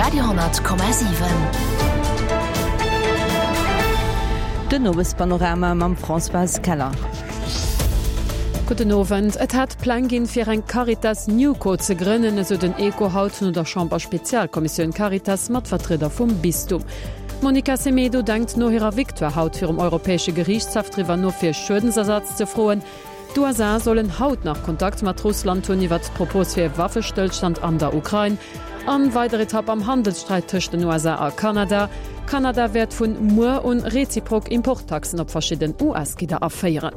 Radio,7. Den Owespanorama mam Françoise Keller. Gudden Owend. Et hätt Pläng ginn, fir eng Caritas Newco ze grënnen, esou den Echo haut no der Chamber-Spezialkommissioun Caritas mat Vertrieder vum Bistum. D'Monica Semedo denkt no hirer Victoire haut virum Europäesche Geriichtshaff driwwer no, fir Schuedensersatz ze froen. D'USA sollen haut nach Kontakt mat Russland hunn iwwert d'Propos fir e Waffestëllstand an der Ukrain. An weider Etapp am Handelssträit tëscht den USA a Kanada, Kanada wäert vun muer un reziprok Importtaxen op verschidden US-Gidder aféieren.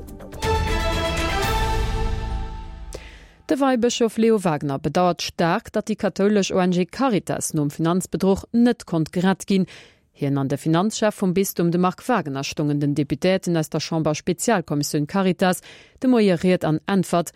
De Weibëschof Leo Wagener bedauert staark, datt déi kathoulesch ONG Caritas nom Finanzbedruch net konnt gerett ginn. Hien an de Finanzchef vum Bistum, de Marc Wagener, stongen den Deputéierten aus der Chamber-Spezialkommissioun Caritas de Moie Ried an Äntwert.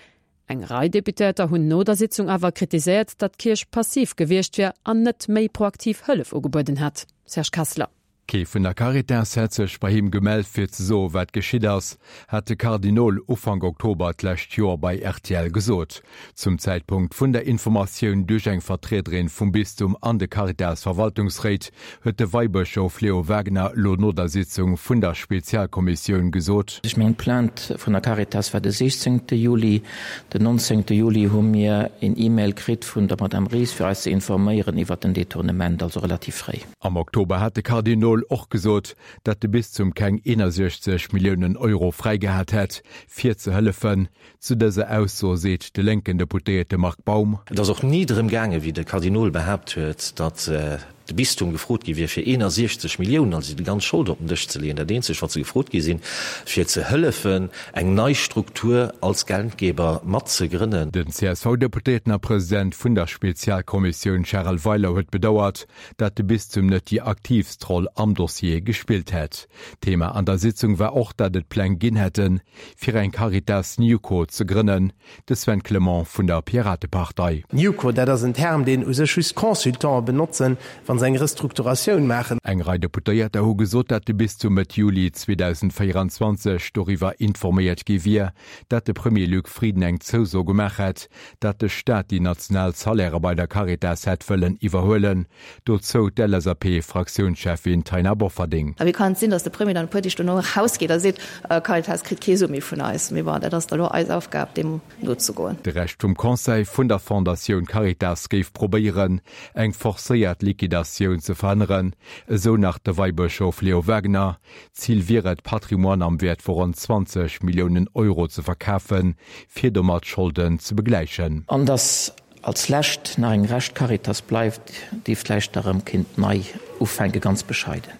Eng Rei Deputéierter hunn no der Sitzung awer kritiséiert, datt d'Kierch passiv gewiescht wier an net méi proaktiv Hëllef ugebueden hätt. Serge Kessler. Kee vun der Caritas hätt sech bei him gemellt fir ze soe wat geschitt ass, hat de Kardinol Ufank Oktober d'lescht Joer bei rtl gesot. Zum Zäitpunkt vun der Informatioun duerch eng Vertriederin vum Bistum an de Caritas-Verwaltungsréit huet de Weibëschof Leo Wagener elo no der Sitzung vun der Spezialkommissioun gesot. Ech mengen, d'Plainte vun der Caritas war de 16. Juli. Den 19. Juli hu mir een E-Mail kritt vun der Madame Ries, fir eis ze informéieren iwwert den Detournement, also relativ fréi. Am Oktober hat de Kardinol och gesot, datt de Bistum keng 61 Milliounen Euro fräigehat hätt, fir ze hëllefen. Zu dëser Ausso seet de lénken Deputéierte Marc Baum. Et ass och ni drëm gaangen, wéi de Kardinol behaapt huet, datt de Bistum gefrot gi wier, fir 61 Milliounen, also déi ganz Schold op den Dësch ze leeën. Dat eenzegt, wat se gefrot gi sinn, fir ze hëllefen, eng nei Struktur als Geldgeber mat ze grënnen. Den CSV-Deputéierten a President vun der Spezialkommissioun Charel Weiler huet bedauert, datt de Bistum net déi aktiivst Roll am Dossier gespillt hätt. Thema an der Sitzung war och, datt et Pläng ginn hätten, fir eng Caritas Newco ze grënnen. De Sven Clement vun der Piratepartei. Newco, dat ass en Term, deen u sech just Consultante benotzen, wa se eng Restrukturatioun maachen. Eng Rei Deputéierter hu gesot, datt de Bistum Mëtt Juli 2024 doriwwer informéiert gi wier, datt de Premier Luc Frieden eng Zouso gemaach hätt, datt de Staat déi national Salairë bei der Caritas hätt wëllen iwwerhuelen. Dozou d'LSAP-Fraktiounscheffin Taina Bofferding. A wéi kann et sinn, datt de Premier dann e puer Deeg dono erausgeet a seet, Caritas kritt kee Su méi vun eis? Mee bon, dat ass da lo eis Aufgab, deem nozegoen. De Rescht vum Conseil vun der Fondatioun Caritas géif probéieren, eng forcéiert Liquidatioun ze verhënneren, esou nach de Weibëschof Leo Wagener. Zil wier et, Patrimoine am Wäert vu ronn 20 Milliounen Euro ze verkafen, fir domat d'Scholden ze begläichen. An dass als Lescht nach eng Rescht Caritas bleift, déi vläicht da rëm kinnt nei ufänken, ganz bescheiden.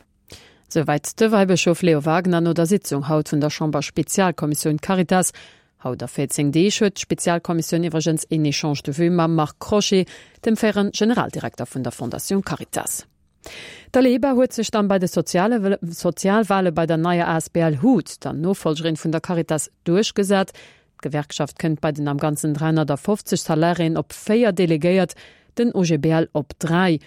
Souwäit de Weibëschof Leo Wagener no der Sitzung haut vun der Chamber-Spezialkommissioun Caritas. Haut a 14 Deeg huet d'Spezialkommissioun iwwregens een Echange de vues mam Marc Crochet, dem fréiere Generaldirekter vun der Fondation Caritas. D'Aleba huet sech dann bei de Sozialwale bei der neier asbl hut, der Nofollgerin vun der Caritas, duerchgesat. D'Gewerkschaft kënnt bei den am Ganzen 350 Salariéen op 4 Delegéiert, den OGBL op 3.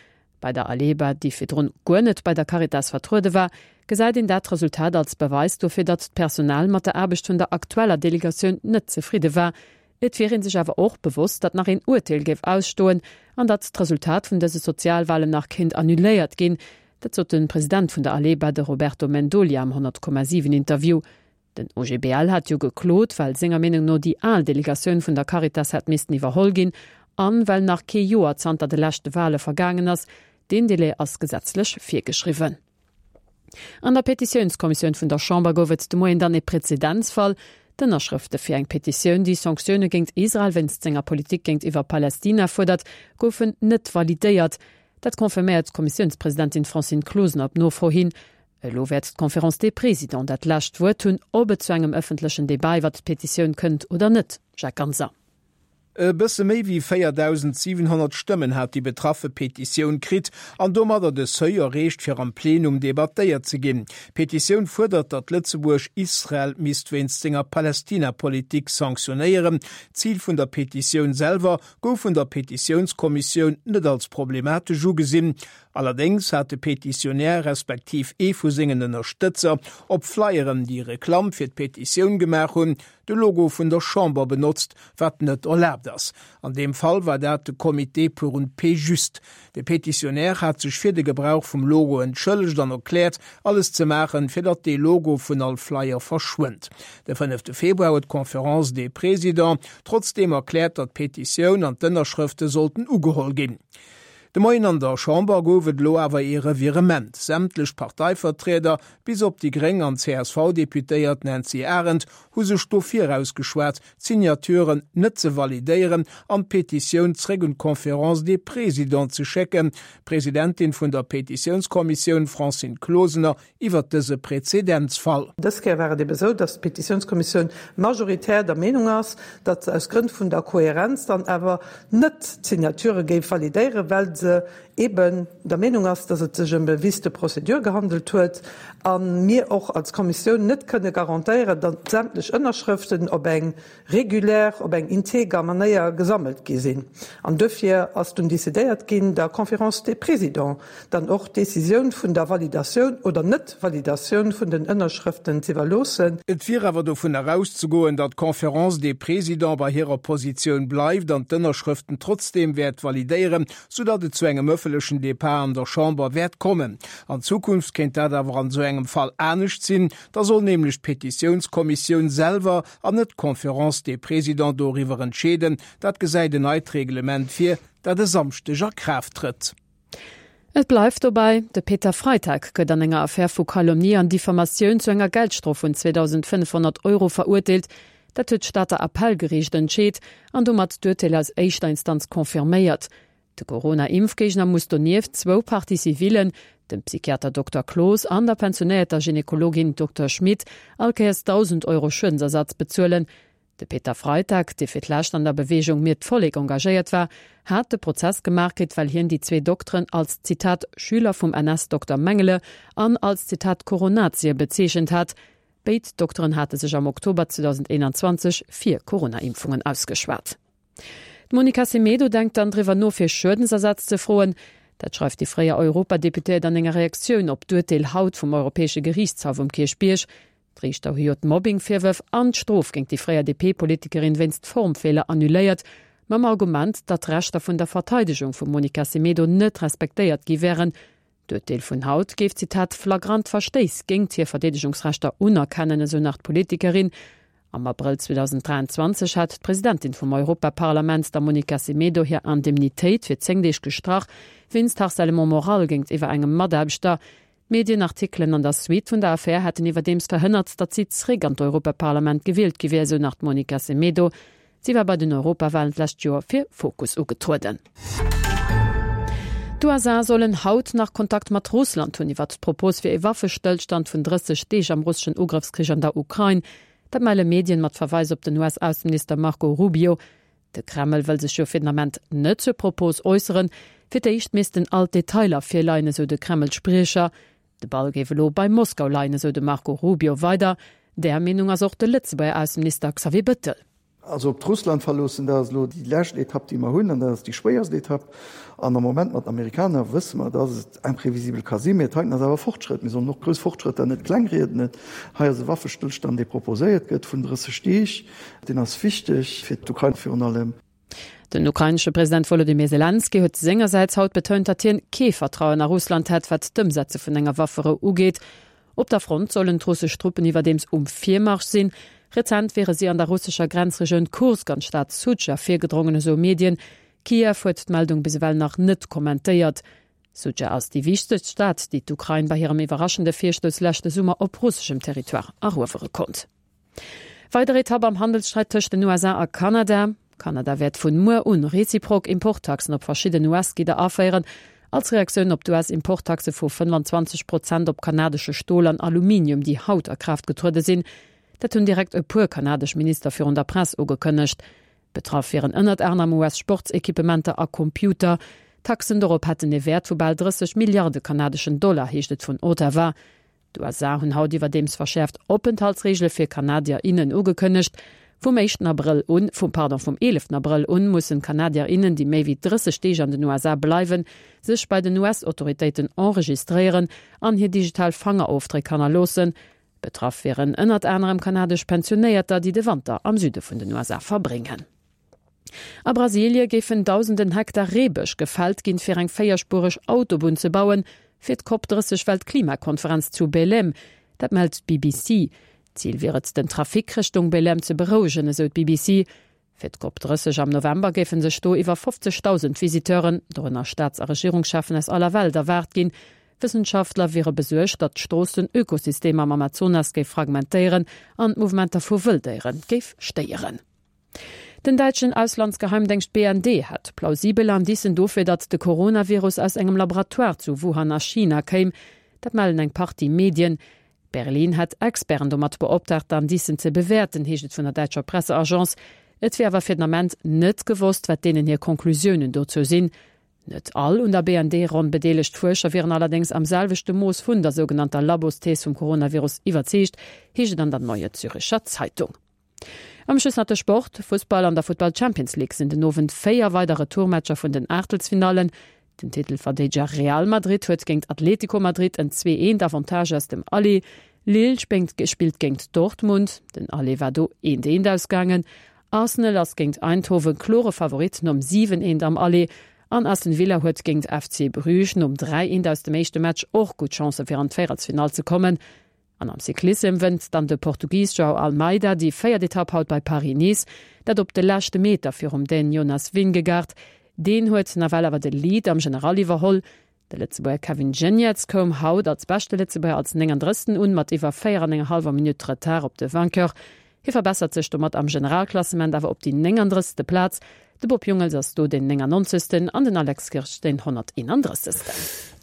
Bei der Aleba, déi virdrun guer net bei der Caritas vertruede war, gesäit een dat Resultat als Beweis dofir, datt d'Personal mat der Aarbecht vun der aktueller Delegatioun net zefridde war. Et wier ee sech awer och bewosst, datt nach een Urteel géif ausstoen an datt d'Resultat vun dëse Sozialwalen nach kéint annuléiert ginn. Dat sot de President vun der Aleba, de Roberto Mendolia am 100,7 Interview. Den OGBL hat jo geklot, well senger Meenung no déi al Delegatioun vun der Caritas hätt missten iwwerholl ginn an well nach kee Joer zanter de leschte Wale vergaangen ass. Deen Delai ass gesetzlech virgeschriwwen. An der Petitiounskommissioun vun der Chamber gouf et de Moien dann ee Prezedenzfall. D'Ënnerschrëfte fir eng Petitioun, déi Sanktioune géingt Israel wéinst senger Politik géintiwwer Palästina fuerdert, goufen net validéiert. Dat confirméiert d'Kommissiounspresidentin Francine Closener op Nofro hin. Elo wäert d'Conférence des Présidents dat lescht Wuert hunn, ob et zu engem ëffentlechen Debat iwwer d'Petitioun kënnt oder net. Jacques Ganser. E bësse méi wéi 4.700 Stëmmen hat déi betraffe Petitioun kritt an domadder de Seuil erreecht, fir am Plenum debattéiert ze ginn. D'Petitioun fuerdert, datt Lëtzebuerg Israel misst wéinst senger Palästina-Politik sanktionéieren. D'Zil vun der Petitioun selwer gouf vun der Petitiounskommissioun net als problematesch ugesinn. Allerdéngs hat de Petitionär respektiv ee vu sengen Ënnerstëtzer op Flyeren, déi Reklamm fir d'Petitioun gemaach hunn, de Logo vun der Chamber benotzt, wat net erlaabt ass. An deem Fall war dat de Comité pour une paix juste. De Petitionnaire hat sech fir de Gebrauch vum Logo entschëllegt an erkläert, alles ze maachen, fir datt dee Logo vun all Flyer verschwënnt. De fënnefte Februar huet d'Conférence des Présidents trotzdeem erkläert, datt d'Petitioun an d'Ënnerschrëfte sollten ugeholl ginn. De Moien an der Chamber gouf et elo awer ee Revirement. Sämtlech Parteivertrieder, bis op déi gréng an d'CSV-Deputéiert Nancy Arendt, hu sech dofir ausgeschwat, d'Signaturen net ze validéieren an d'Petitioun zréck un d'Conférence des Présidents ze schécken. D'Presidentin vun der Petitiounskommissioun, Francine Closener, iwwert dëse Präzedenzfall. Dës Kéier war et ebe sou, datt d'Petitiounskommissioun majoritär der Meenung ass, datt se aus Grënn vun der Kohärenz dann awer net d'Signature géif validéieren, well se eben der Meenung ass, dass et sech ëm e Vice de procédure gehandelt huet a mir och als Kommissioun net kënne garantéieren, datt sämtlech Ënnerschrëften op eng regulär, op eng integer Manéier gesammelt gi sinn. An duerfir ass dunn décidéiert ginn, der Conférence des Présidents dann och d'Décisioun vun der Validatioun oder Net-Validatioun vun den Ënnerschrëften z'iwwerloossen. Et wier awer dovun erauszegoen, datt d'Conférence des Présidents bei hirer Positioun bleift an d'Ënnerschrëften trotzdeem wäert validéieren, soudatt et zu engem ëffentlechen Depart an der Chamber wäert kommen. An Zukunft kéint dat awer an esou engem Fall anescht sinn, da soll nämlech d'Petitiounskommissioun selwer an net d'Conférence des Présidents doriwwer entscheeden. Dat gesäit en neit Reglement vir, dat e Samschdeg a Kraaft trëtt. Et bleift dobäi, De Peter Freitag gëtt an enger Affär vu Calomnie an Diffamatioun zu enger Geldstrof vun 2.500 Euro verurteelt. Dat huet d'Stater Appellgeriicht entscheet an domat d'Urteel aus éischter Instanz confirméiert. De Corona-Impfgéigner muss donieft zwou Partie civillen, dem Psychiater Dokter Cloos an der pensionéierter Gynekologin Dokter Schmit, all Kéiers 1.000 Euro Schuedensersatz bezuelen. De Peter Freitag, dee fir d'lescht an der Beweegung Mir d'Vollek engagéiert war, hat de Prozess gemaach kritt, well hien déi zwee Dokteren als, Zitat, Schüler vum NS-Dokter Mengele an als, Zitat, Coronazie bezeechent hat. Béid Dokteren hate sech am Oktober 2021 fir Corona-Impfungen ausgeschwat. D'Monica Semedo denkt dann driwwer no, fir Schuedensersatz ze froen. Dat schreift déi fréier Europadeputéiert an enger Reaktioun op d'Urteel haut vum Europäesche Geriichtshaff um Kierchbierg. D'Riichter hu jo d'Mobbing-Virwërf an d'Strof géint déi fréier DP-Politikerin wéinst Formfeeler annuléiert, mam Argument, datt d'Rechter vun der Verteidegung vum Monica Semedo net respektéiert gi wären. D'Urteel vun haut géif, Zitat, flagrant Verstéiss géingt hir Verdeedegungsrechter unerkennen, esou nach d'Politikerin. Am Abrëll 2023 hat d'Presidentin vum Europaparlament, der Monica Semedo, hir Indemnitéit fir 10 Deeg gestrach, wéinst Harcèlement moral géintiwwer engem Mataarbechter. D'Medienartikelen an der Suite vun der Affär hätten iwwerdeems verhënnert, datt si zréck an d'Europaparlament gewielt gi wier, esou nach d'Monica Semedo. Si war bei den Europawalen d'lescht Joer fir Fokus ugetrueden. D'USA sollen haut nach Kontakt mat Russland hunn iwwert d'Propos fir ee Waffestëllstand vun 30 Deeg am russeschen Ugrëffskrich an der Ukrain. Dat melle Medien mat Verweis op den US-Ausseminister Marco Rubio. De Kreml wëll sech jo fir den Ament net zur Propos äusseren. Fir d'éischt missten all d'Detailer virleien, esou de Kreml-Spriecher. De Ball géif elo bei Moskau leien, esou de Marco Rubio weider. Där Meenung ass och de Lëtzebuerger Ausseminister Xavier Bettel. Also op d'Russland verloossen, dat ass elo déi lescht Etapp, déi mer hunn, an dat ass déi schwéierst Etapp. An am Moment mat den Amerikaner wësse mer, dass et imprévisibel ka sinn. Mee et heiten ass awer Fortschrëtt. Mir sollen och grouss Fortschrëtter net klengrieden. Hei ass e Waffestëllstand, dee proposéiert gëtt vun 30 Deeg. Deen ass wichteg fir d'Ukrain virun allem. Den ukrainesche President Wolodymyr Selenskyj huet sengersäits haut betount, datt hien kee Vertrauen a Russland hätt, wat d'Ëmsetze vun enger Wafferou ugeet. Op der Front sollen d'russesch Truppen iwwerdeems um Virmarsch sinn. Rezent wiere si an der russescher Grenzregioun Kursk an d'Stad Sudscha virgedrongen, esou Medien. Kiew huet d'Meldung bis ewell nach net kommentéiert. Sudscha ass déi wichtegst Stad, déi d'Ukrain bei hirem iwwerraschende Virstouss leschte Summer op russeschem Territoire eruewere konnt. Weider Etapp am Handelssträit tëscht den USA a Kanada. Kanada wäert vun muer un reziprok Importtaxen op verschidden US-Gidder aféieren, als Reaktioun op d'US-Importtaxe vu 25 Prozent op kanadesche Stol an Aluminium, déi haut a Kraaft getruede sinn. Dat hunn direkt e puer kanadesch Minister virun der Press ugekënnegt. Betraff wieren ënnert anerem US-Sportsequipementer a Computer. D'Taxen dorop hätten ee Wäert vu bal 30 Milliarde kanadeschen Dollar, heescht et vun Ottawa. D'USA hunn haut iwwerdeems verschäerft Openthaltsreegele fir Kanadier, innen ugekënnegt. Vum éischten Abrëll un, vum, pardon, vum eeleften Abrëll un mussen Kanadier, innen, déi méi wéi 30 Deeg an den USA bleiwen, sech bei den US-Autoritéiten enregistréieren an hir digital Fangerofdréck hannerloossen. Betraff wieren ënnert anerem kanadesch Pensionéierter, déi de Wanter am Süde vun den USA verbréngen. A Brasilie géifen dausenden Hektar Reebësch gefält ginn, fir eng véierspuereg Autobunn ze bauen, fir d'Cop 30 Weltklimakonferenz zu Belém. Dat mellt d'BBC. Zil wier et, den Trafic Richtung Belém ze berouegen, esou d'BBC. Fir d'Cop 30 am November géife sech do iwwer 50.000 Visiteuren, dorënner Staats a Regierungscheffen aus aller Welt, erwaart ginn. Wëssenschaftler wiere besuergt, datt d'Strooss den Ökosystem am Amazonas géif fragmentéieren an d'Mouvementer vu Wëlldéiere géif stéieren. Den däitschen Auslandsgeheimdéngscht BND hätt plausibel Indicen dofir, datt de Coronavirus aus engem Laboratoire zu Wuhan a China kéim. Dat mellen eng Partie Medien. Berlin hätt Experten domat beoptraagt, d'Indicen ze bewäerten, heescht et vun der däitscher Presseagence. Et wier awer fir den Ament net gewosst, wat deenen hir Conclusiounen dozou sinn. Net all un der BND-Ronn bedeelegt Fuerscher wieren allerdéngs am selwechte Mooss vun der sougenannter Labosthees vum Coronavirus iwwerzeegt, heescht et an der Neue Züricher Zeitung. Am Schluss nach de Sport, Fussball, An der Futtball Champions League sinn den Owend 4 weider Retourmatcher vun den Aachtelsfinallen. Den Titelverdeedeger Real Madrid huet géint Atlético Madrid en 2 eent Avantage aus dem Aller. Lille spillt géint Dortmund, den Aller war do eent eent ausgaangen. Arsenal ass géint Eindhoven klore Favorit nom 7 eent am Aller an Aston Villa huet géint FC Bruges nom 3 eent aus dem éischte Match och gutt Chancë fir an d'Véierelsfinall ze kommen. An am Cyclissem wënnt dann de Portugis Joao Almeida déi véiert Etapp haut bei Paris-Nice, dat op de leschte Meter virum Dän Jonas Vingegaard. Deen huet nawell awer de Lead am General iwwerholl. De Lëtzebuerger Kevin Geniets koum haut als beschte Lëtzebuerger als 39. Un, mat iwwer 4 an enger hallwer Minutt Retard op de Vainqueur. Hie verbessert sech domat am Generalklassement awer op déi 39. Plaz. De Bob Jungels ass do deen 99. An den Alex Kirsch deen 131.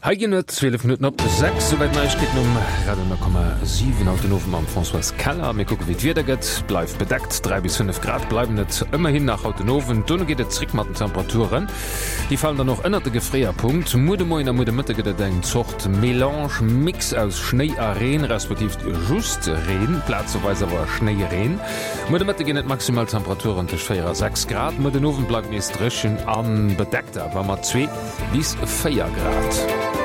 Hei ginn et 12 Minutten op 6, souwäit Neiegkeeten um Radio 10,7 haut den Owend mam Françoise Keller. Mir kucke wéi d'Wieder gëtt, bleift bedeckt, 3 bis 5 Grad bleiwen et ëmmerhin nach haut den Owend. Dono geet et zréck mat den Temperaturen, déi falen dann och ënnert de Gefréierpunkt. Muer de Moien a muer de Mëtte gëtt et eng Zort Melange, Mix aus Schnéi a Reen, respektiv just Reen, plazeweis awer Schnéireen. Muer de Mëtte ginn et maximal Temperaturen tëscht 4 a 6 Grad, muer den Owend bleift nees dréchen a bedeckt, awer mat 2 bis 4 Grad.